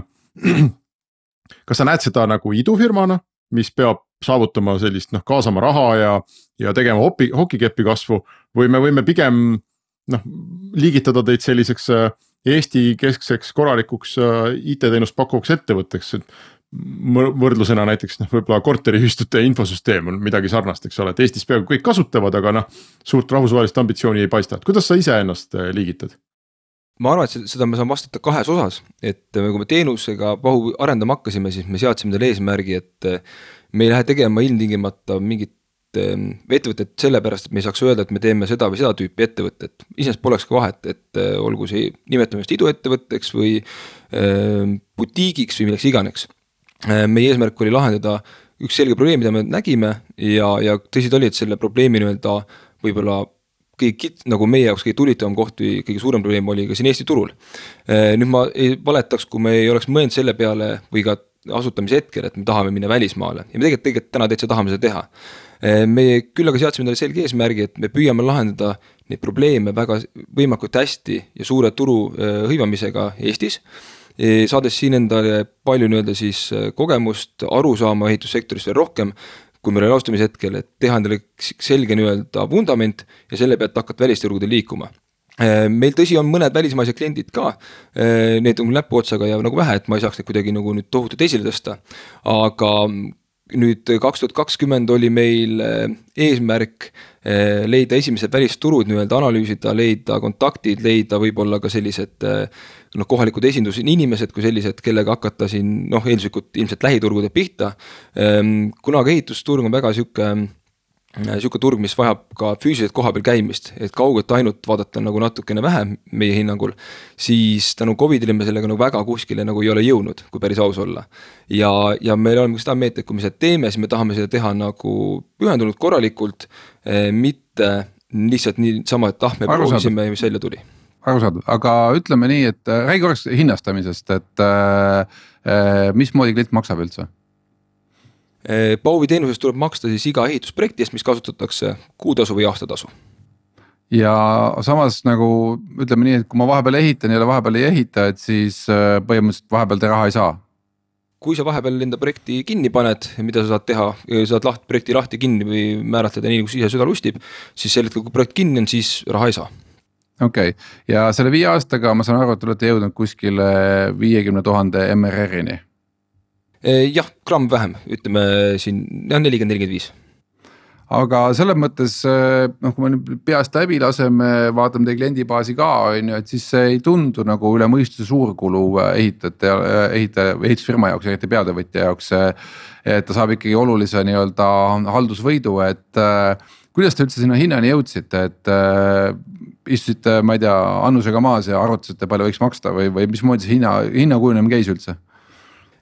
näed seda nagu idufirmana, mis peab saavutama sellist kaasama raha ja tegema hokikepi kasvu või me võime pigem liigitada teid selliseks Eesti keskseks korralikuks IT-teenust pakkuks ettevõtteks, et võrdlusena näiteks võib-olla korteriühistute infosüsteem on midagi sarnast, eks ole, et Eestis peaaegu kõik kasutavad, aga suurt rahvusvahelist ambitsiooni ei paista, et kuidas sa ise ennast liigitad? Ma arvan, et seda me saan vastata kahes osas, et kui me teenusega Bauhubi arendama hakkasime, siis me seadsime selle eesmärgi, et me ei lähe tegema ilmtingimata mingit ettevõtet sellepärast, et me ei saaks öelda, et me teeme seda või seda tüüpi ettevõtet. Iseenesest poleks ka vahet, et olgu see nimetamist iduettevõtteks või butiigiks või milleks iganeks. Meie eesmärk oli lahendada üks selge probleem, mida me nägime ja tõsid oli, et selle probleemi võib-olla nagu meie jaoks kõige tulitavam koht või kõige suurem probleem oli ka siin Eesti turul. Nüüd ma ei valetaks, kui me ei oleks mõelnud selle peale või ka asutamise hetkel, et me tahame minna välismaale ja me tegelikult täna täitsa tahame seda teha. Me küll aga seadsime talle selge eesmärgi, et me püüame lahendada neid probleeme väga võimalikult hästi ja suure turu hõivamisega Eestis, saades siin endale palju siis kogemust, aru saama ehitussektorist veel rohkem, kui meil oli alustamise hetkel, et teha endale selge vundament ja selle pealt hakata välisturgudel liikuma. Meil tõsi on mõned välismaised kliendid ka, need on näpuotsaga ja nagu vähe, et ma ei saaks neid kuidagi nagu nüüd tohutult esile tõsta, aga nüüd 2020 oli meil eesmärk leida esimesed välisturud, analüüsida, leida kontaktid, leida võib-olla ka sellised kohalikud esindusinimesed kui sellised, kellega hakata siin eelduslikult ilmselt lähiturgude pihta. Kuna ka ehitusturg on väga siuke turg, mis vajab ka füüsiliselt koha peal käimist, et kaugelt ainult vaadata nagu natukene vähem meie hinnangul, siis tänu COVIDile me sellega väga kuskile ei ole jõudnud, kui päris aus olla. Ja meil oleme seda meelt, et kui me seda teeme, siis me tahame seda teha nagu pühendunud korralikult, mitte lihtsalt nii sama, et me proovisime ja mis välja tuli. Arusaadav, aga ütleme nii, et räägi korraks hinnastamisest, et mismoodi klient maksab üldse? Bauhubi teenusest tuleb maksta siis iga ehitusprojektist, mis kasutatakse kuutasu või aastatasu. Ja samas nagu ütleme nii, et kui ma vahepeal ehitan ja vahepeal ei ehita, et siis põhimõtteliselt vahepeal te raha ei saa. Kui sa vahepeal enda projekti kinni paned, mida sa saad teha, saad projekti lahti kinni või määratleda nii, kui ise süda lustib, siis sel hetkel, kui projekt kinni on, siis raha ei saa. Okei, ja selle 5 aastaga ma saan aru, et olete jõudnud kuskile 50,000 MRR-ini. Jah, gramm vähem, ütleme siin 40-45. Aga selles mõttes, kui me peast läbi laseme, vaatame teie kliendibaasi ka, et siis see ei tundu nagu üle mõistuse suurkulu ehitusfirma jaoks, eriti peatöövõtja jaoks, et ta saab ikkagi olulise haldusvõidu, et kuidas te üldse sinna hinnani jõudsite, et istusite, ma ei tea, annusega maas ja arvutasite, palju võiks maksta või mismoodi see hinna kujunemine käis üldse?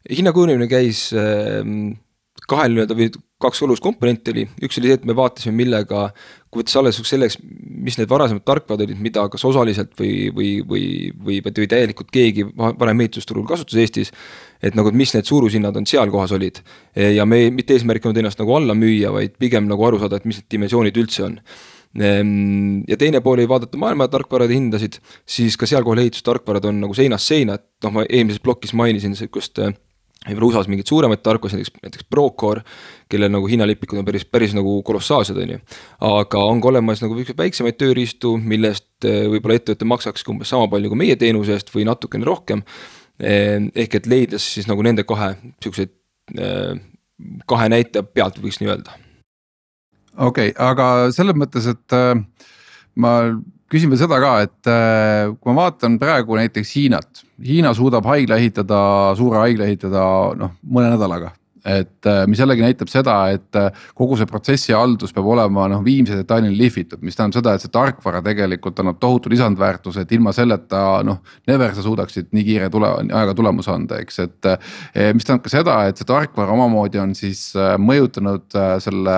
Hinna kujunemine käis kahel nii-öelda või kaks olulist komponenti oli, üks oli see, et me vaatasime millega, kui võttes alles selleks, mis need varasemad tarkvad olid, mida kas osaliselt või täielikult keegi varem ehitusturul kasutas Eestis, et nagu, mis need suurushinnad on seal kohas olid. Ja me mitte eesmärk on ennast nagu alla müüa, vaid pigem nagu aru saada, et mis need dimensioonid üldse on. Ja teine pool ei vaadata maailma tarkvarade hindasid, siis ka seal kohal ehitustarkvarad on nagu seinast seina, et ma eelmises plokis mainisin sellist USA-s mingid suuremaid tarkvasid, näiteks Procore, kellel nagu hinnalipikud on päris nagu kolossaalsed on ju. Aga on ka olemas nagu väiksemaid tööriistu, millest võib-olla ettevõtte maksaks umbes sama palju kui meie teenuse eest või natukene rohkem. Ehk et leides siis nagu nende kahe näite pealt võiks nii öelda. Okei, aga selles mõttes, et ma küsin veel seda ka, et kui ma vaatan praegu näiteks Hiinat, Hiina suudab suure haigla ehitada mõne nädalaga. Et mis jällegi näitab seda, et kogu see protsessi haldus peab olema viimse detailini lihvitud, mis tähendab seda, et see tarkvara tegelikult annab tohutu lisandväärtuse, et ilma selleta never sa suudaksid nii kiire aega tulemus anda, eks, et mis tähendab ka seda, et see tarkvara omamoodi on siis mõjutanud selle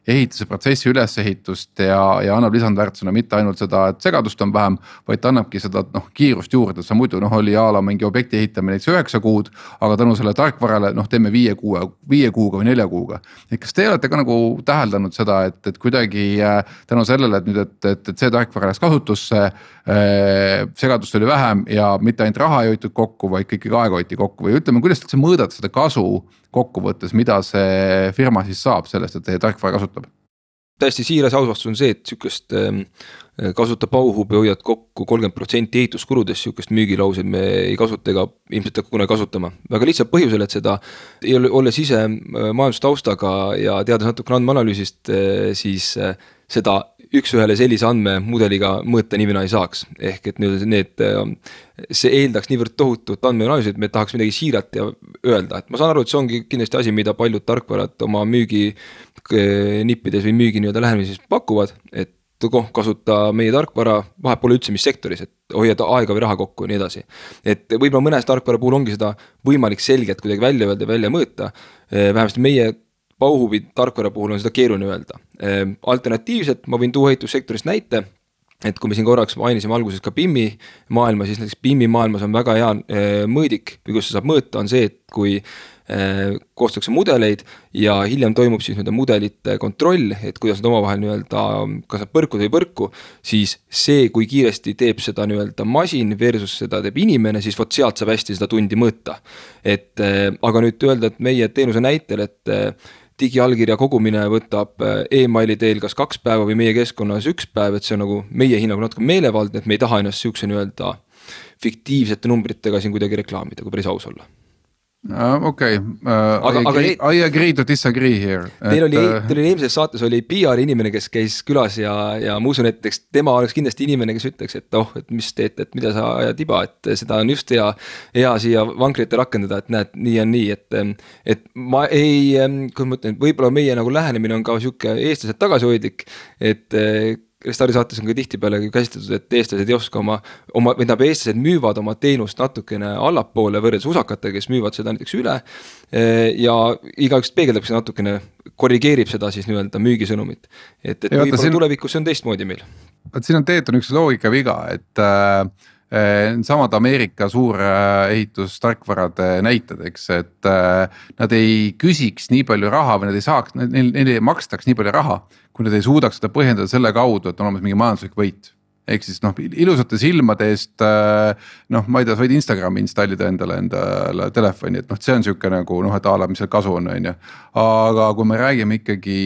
ehituse protsessi ülesehitust ja annab lisandväärtusena mitte ainult seda, et segadust on vähem, vaid ta annabki seda kiirust juurde, sa muidu oli jaala mingi objekti ehitamine 9 kuud, aga tänu selle tarkvarale teeme 5 kuuga või 4 kuuga. Et kas te olete ka nagu täheldanud seda, et kuidagi tänu sellele, et nüüd, et see tarkvara läks kasutusse, segadust oli vähem ja mitte ainult raha ei hoitud kokku, vaid ikkagi aega hoiti kokku või ütleme, kuidas te mõõdad seda kasu kokkuvõttes, mida see firma siis saab sellest, et teie tarkvara kasutab? Täiesti siiras ausvastus on see, et sükest kasutab auhubi hoiad kokku 30% ehituskuludest, sükest müügilauseid me ei kasuta ega ilmselt kunagi kasutama. Väga lihtsalt põhjusel, et seda, olles ise majandustaustaga ja teades natukene andmeanalüüsist, siis seda üks-ühele sellise andmemudeliga mõõta nimena ei saaks. Ehk et see eeldaks niivõrd tohutut andmeanalüüsi, et me tahaks midagi siirat ja öelda. Et ma saan aru, et see ongi kindlasti asi, mida paljud tarkvarad oma müügi nippides või müügi lähemises pakuvad, et kasuta meie tarkvara, vahet pole üldse mis sektoris, et hoiad aega või raha kokku ja nii edasi. Et võib-olla mõnes tarkvara puhul ongi seda võimalik selgelt kuidagi välja öelda ja välja mõõta. Vähemasti meie Bauhubi tarkvara puhul on seda keeruline öelda. Alternatiivselt ma võin tuua ehitussektorist näite, et kui me siin korraks mainisime alguses ka BIM-i maailma, siis näiteks BIM-i maailmas on väga hea mõõdik, või kus saab mõõta, on see, et kui koostatakse mudeleid ja hiljem toimub siis mudelite kontroll, et kuidas nad omavahel kas nad põrkud või põrku, siis see, kui kiiresti teeb seda masin versus seda teeb inimene, siis vot sealt saab hästi seda tundi mõõta. Aga nüüd öelda, et meie teenuse näitel, et digiallkirja kogumine võtab e-maili teel kas 2 päeva või meie keskkonnas 1 päev, et see on nagu meie hinnaga natuke meelevaldne, et me ei taha ennast sihukese fiktiivsete numbritega siin kuidagi reklaamida, kui päris aus olla. Okei, I agree to disagree here. Teil oli eelmises saates oli PR inimene, kes käis külas ja ma usun, et tema oleks kindlasti inimene, kes ütleks, et mis teete, et mida sa ajad tiba, et seda on just hea siia vankrite rakendada, et näed, nii on nii, et ma ei, kui ma ütlen, võib-olla meie nagu lähenemine on ka sihuke eestlased tagasihoidlik, et Restari saates on ka tihtipeale käsitletud, et eestlased ei oska eestlased müüvad oma teenust natukene allapoole võrreldes usakatega, kes müüvad seda näiteks üle ja igaüks peegeldab seda natukene, korrigeerib seda siis müügisõnumit. Et võib-olla tulevikus see on teistmoodi meil. Siin on teetud üks loogika viga, et samad Ameerika suur ehitustarkvarade näited, eks, et nad ei küsiks nii palju raha või nad ei saaks, neil ei makstaks nii palju raha, kui nad ei suudaks seda põhjendada selle kaudu, et on olemas mingi majanduslik võit. Ehk siis ilusate silmade eest, ma ei tea, sa võid Instagrami installida endale telefoni, et see on siuke nagu, et ala, mis seal kasu on, aga kui me räägime ikkagi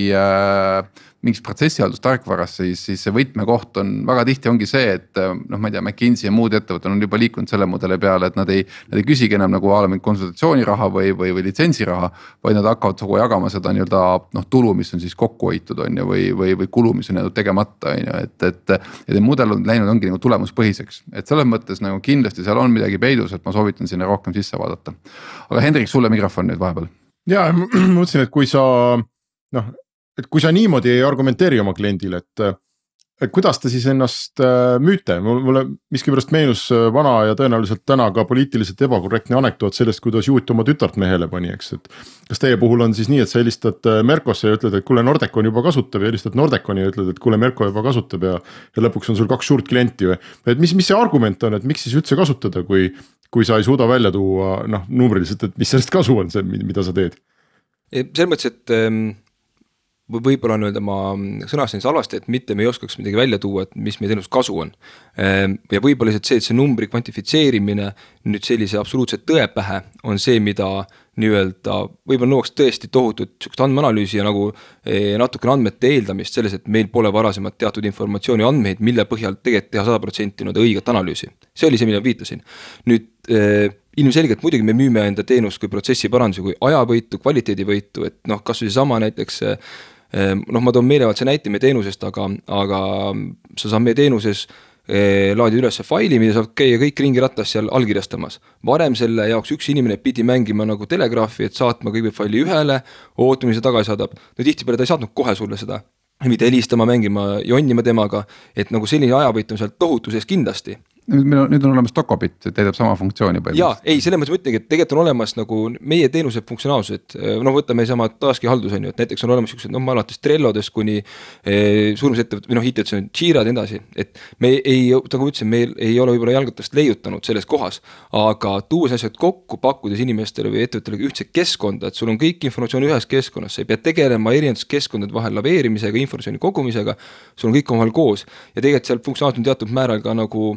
mingis protsessihaldustarkvarast, siis see võtmekoht on väga tihti ongi see, et ma ei tea, McKinsey ja muud ettevõtted on juba liikunud selle mudeli peale, et nad ei küsigi enam nagu mingi konsultatsiooniraha või litsentsiraha, vaid nad hakkavad kogu jagama seda tulu, mis on siis kokku hoitud on või kulu, mis on tegemata, et mudel on läinud ongi nagu tulemuspõhiseks, et selles mõttes nagu kindlasti seal on midagi peidus, et ma soovitan sinna rohkem sisse vaadata. Aga Hendrik, sulle mikrofon nüüd vahepeal. Ja ma mõtlesin, et kui sa niimoodi ei argumenteeri oma kliendile, et kuidas te siis ennast müüte? Mulle miskipärast meenus vana ja tõenäoliselt täna ka poliitiliselt ebakorrektne anekdoot sellest, kuidas Juut oma tütart mehele pani, eks, et kas teie puhul on siis nii, et sa helistad Merkosse ja ütled, et kuule, Nordecon juba kasutab ja helistad Nordeconi ja ütled, et kuule, Merko juba kasutab ja lõpuks on sul 2 suurt klienti või? Et mis see argument on, et miks siis üldse kasutada, kui sa ei suuda välja tuua numbriliselt, et mis sellest kasu on see, mida sa teed? Selles mõttes, et võib-olla ma sõnasin halvasti, et mitte me ei oskaks midagi välja tuua, et mis meie teenus kasu on. Ja võib-olla lihtsalt see numbri kvantifitseerimine nüüd sellise absoluutse tõe pähe on see, mida nii-öelda võib-olla nõuaks tõesti tohutut andmeanalüüsi ja nagu natukene andmete eeldamist selles, et meil pole varasemalt teatud informatsiooni andmeid, mille põhjal tegelikult teha 100% õiget analüüsi. See oli see, mida viitasin. Nüüd ilmselgelt muidugi me müüme enda teenust kui protsessi parandusi, kui ajavõitu, kvaliteedivõitu, et kas või sama näiteks ma toon meelevaldse näite meie teenusest, aga sa saad meie teenuses laadi üles faili, mida saab käia kõik ringirattas seal allkirjastamas. Varem selle jaoks üks inimene pidi mängima nagu telegraafi, et saatma kõigepealt faili ühele, ootama, mis ta tagasi saadab. No tihtipeale ta ei saatnud kohe sulle seda, mitte helistama, mängima, jonnima temaga, et nagu selline ajavõit on seal tohutu sees kindlasti. Nüüd on olemas Dokobit, täidab sama funktsiooni jaa, ei, selle mõttes mõtlengi, et tegelikult on olemas nagu meie teenuse funktsionaalsused, võtame sama taaski haldus on ju, et näiteks on olemas sellised, alates Trellodest kuni suurusettevõtted või IT-d on Jirad edasi, et me ei, nagu ütlesin, meil ei ole võib-olla jalgatast leiutanud selles kohas, aga tuues asjad kokku, pakkudes inimestele või ettevõttele ühtse keskkonda, et sul on kõik informatsioon ühes keskkonnas, sa ei pea tegelema erinevates keskkondade vahel laveerimisega, informatsiooni kogumisega, sul on kõik omavahel koos ja tegelikult seal funktsionaalselt on teatud määral ka nagu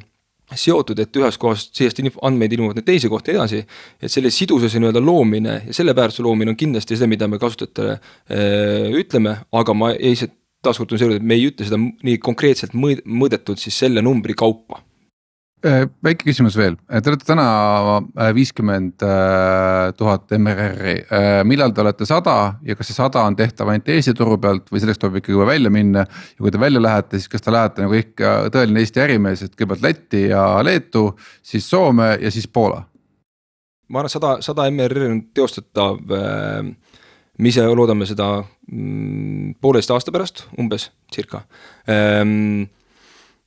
seotud, et ühes kohas sellest andmeid ilmuvad need teise kohta edasi, et selle sidususe nii-öelda loomine ja selle väärtuse loomine on kindlasti seda, mida me kasutajatele ütleme, aga ma ei taaskord on see, et me ei ütle seda nii konkreetselt mõõdetud siis selle numbri kaupa. Väike küsimus veel, te olete täna 50 000 MRR-i, millal te olete 100 ja kas see 100 on tehtav ainult Eesti turu pealt või selleks tuleb ikkagi välja minna ja kui te välja lähete, siis kas te lähete nagu ikka tõeline Eesti ärimees, et kõigepealt Läti ja Leetu, siis Soome ja siis Poola? Ma arvan, 100 MRR on teostatav, me ise loodame seda 1,5 aasta pärast, umbes circa.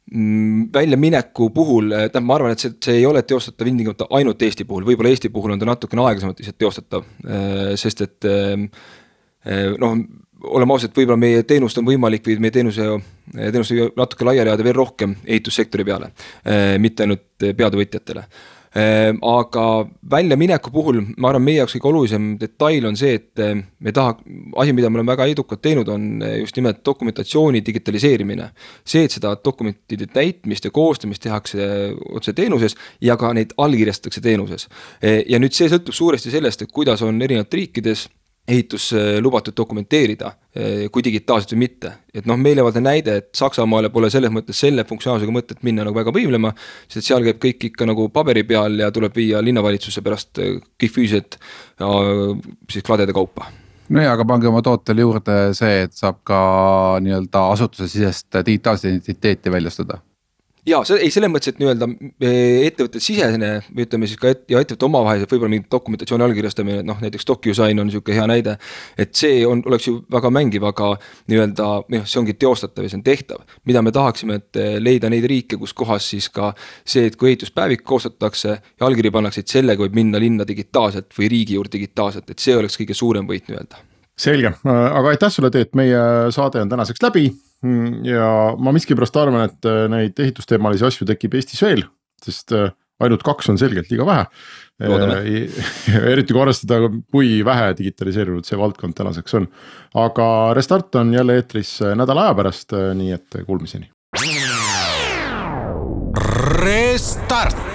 Väljamineku puhul, ma arvan, et see ei ole teostatav ilmtingimata ainult Eesti puhul, võib-olla Eesti puhul on ta natukene aeglasemalt lihtsalt teostatav, sest et oleme ausad, võib-olla meie teenust on võimalik või meie teenuse natuke laiali ajada veel rohkem ehitussektori peale, mitte ainult peadevõtjatele. Aga väljamineku puhul ma arvan, meie jaoks kõige olulisem detail on see, et me asi, mida me oleme väga edukalt teinud, on just nimelt dokumentatsiooni digitaliseerimine. See, et seda dokumentide täitmist ja koostamist tehakse otse teenuses ja ka neid allkirjastatakse teenuses. Ja nüüd see sõltub suuresti sellest, et kuidas on erinevad riikides ehitus lubatud dokumenteerida, kui digitaalselt või mitte. Et meelevaldne näide, et Saksamaale pole selles mõttes selle funktsionaalsusega mõtet minna nagu väga võimlema, sest seal käib kõik ikka nagu paberi peal ja tuleb viia linnavalitsusse pärast kõik füüsilised siis kladede kaupa. No ja, aga pange oma tootele juurde see, et saab ka nii-öelda asutuse sisest digitaalset identiteeti väljastada. Jaa, ei selles mõttes, et nii-öelda ettevõtted sisene, ütleme siis ka ja ettevõtte omavahelised võib-olla mingi dokumentatsiooni allkirjastamine, näiteks DocuSign on niisugune hea näide, et see oleks ju väga mängiv, aga nii-öelda see ongi teostatav ja see on tehtav. Mida me tahaksime, et leida neid riike, kus kohas siis ka see, et kui ehituspäevik koostatakse ja allkiri pannakse, et sellega võib minna linna digitaalselt või riigi juurde digitaalselt, et see oleks kõige suurem võit nii-öelda. Selge, aga aitäh sulle, Teet, meie saade on tänaseks läbi ja ma miskipärast arvan, et neid ehitusteemalisi asju tekib Eestis veel, sest ainult 2 on selgelt liiga vähe. Eriti kui arvestada, kui vähe digitaliseerinud see valdkond tänaseks on. Aga Restart on jälle eetris nädala aja pärast, nii et kuulmiseni. Restart.